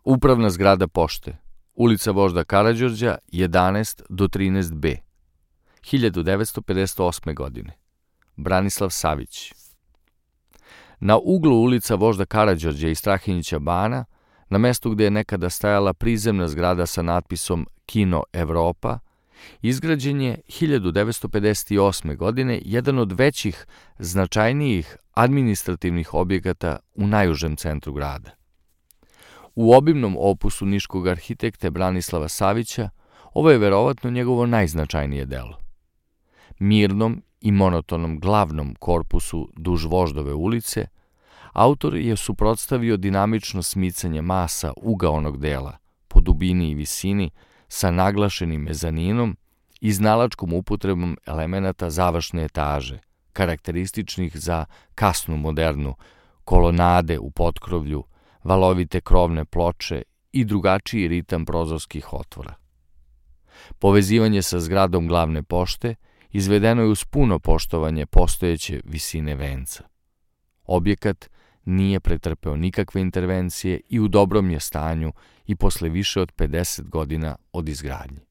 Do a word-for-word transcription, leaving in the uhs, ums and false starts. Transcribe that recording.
Upravna zgrada pošte, ulica Vožda Karađorđa, jedanaest do trinaest B, hiljadu devetsto pedeset osme. godine. Branislav Savić. Na uglu ulica Vožda Karađorđa i Strahinjića bana, na mestu gde je nekada stajala prizemna zgrada sa natpisom Kino Evropa, izgrađen je hiljadu devetsto pedeset osme. godine jedan od većih, značajnijih administrativnih objekata u najužem centru grada. U obimnom opusu niškog arhitekte Branislava Savića ovo je verovatno njegovo najznačajnije delo. Mirnom i monotonom glavnom korpusu duž Voždove ulice autor je suprotstavio dinamično smicanje masa ugaonog dela po dubini i visini sa naglašenim mezaninom i znalačkom upotrebom elemenata završne etaže, karakterističnih za kasnu modernu, kolonade u potkrovlju, valovite krovne ploče i drugačiji ritam prozorskih otvora. Povezivanje sa zgradom glavne pošte izvedeno je uz puno poštovanje postojeće visine venca. Objekat nije pretrpeo nikakve intervencije i u dobrom je stanju i posle više od pedeset godina od izgradnje.